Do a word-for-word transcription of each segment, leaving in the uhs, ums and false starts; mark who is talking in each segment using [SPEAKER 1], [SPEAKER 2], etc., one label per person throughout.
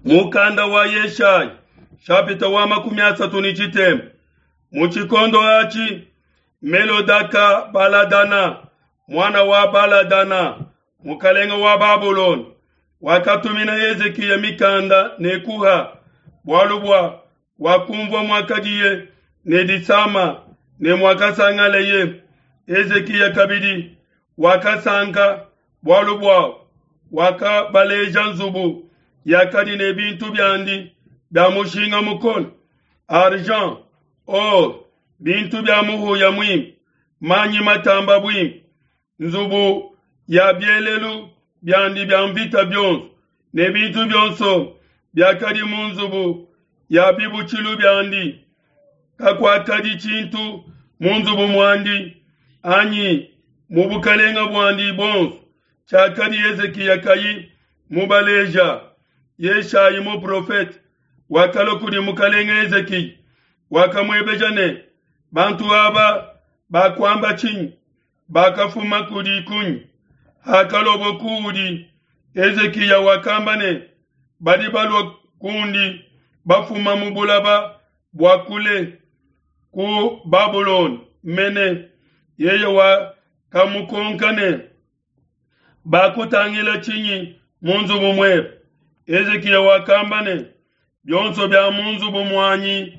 [SPEAKER 1] Mukanda wa Yeshaya shapita wa makumi asatu ne tshitema. Mu tshikondo atshi Melodaka Baladana muana wa Baladana mukalenge wa Babulona wakatumina Hezikiya mikanda ne kuha, bualu bua wakumvua muakadiye ne disama ne muakasangaleye. Hezikiya kabidi wakasanka bualu bua wakabaleja nzubu yakadi ne bintu biandi bia mushinga mukole, argent, or, bintu bia muhuya muimpe, manyi matamba buimpe, nzubu ya bielelu biandi bia mvita bionso ne bintu bionso biakadi mu nzubu ya bibutshilu biandi. Kakuakadi tshintu mu nzubu muandi anyi mu bukalenga buandi buonso tshiakadi Hezikiya kayi mubaleja. Yeshayi muprofete wakalua kudi mukalenge Hezikiya, wakamuebeja ne, bantu aba bakuamba tshinyi? Bakafuma kudi kunyi? Hakaluabo kuudi, Hezikiya wakamba ne, badi balua kundi bafuma mu bulaba bua kule ku Babulona mene. Yeye wakamukonka ne, bakutangila tshinyi mu nzubu muebe? Hezikiya wakamba ne, bionso bia mu nzubu muanyi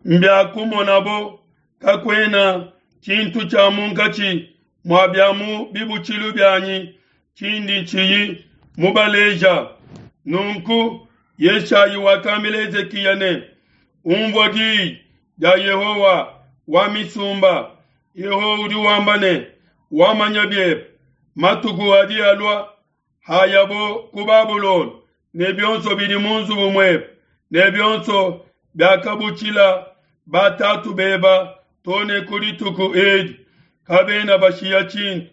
[SPEAKER 1] mbiakumonabo, kakuena tshintu tshia munkatshi mua bia mu bibutshilu bianyi tshindi tshiyi mubaleja. Nunku Yeshayi wakambila Hezikiya ne, umvua diyi dia Yehowa wa misumba. Yehowa udi wamba ne, wamanya biebe matuku adi alua hayabo ku Babulona ne bionso bidi mu nzubu muebe ne bionso biakabutshila batatu beba to ne ku dituku edi, kabena bashiya tshintu.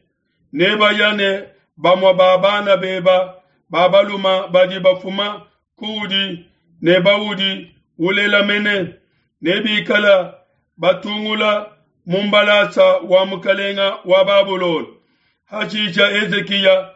[SPEAKER 1] Nebaya ne bamue ba bana beba ba baluma badi bafuma kuudi ne baudi ulela mene, nebikala batungula mu mbalasa wa mukalenga wa Babulona. Hashisha Hezikiya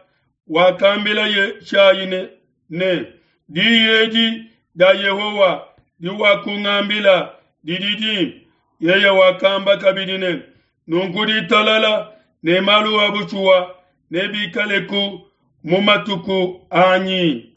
[SPEAKER 1] wakambila Yeshayi ne, ne diyi edi dia Yehowa diwakungambila didi dimpe. Yeye wakamba kabidi ne, nunku ditalala ne malu a bushuwa nebikaleku mu matuku anyi.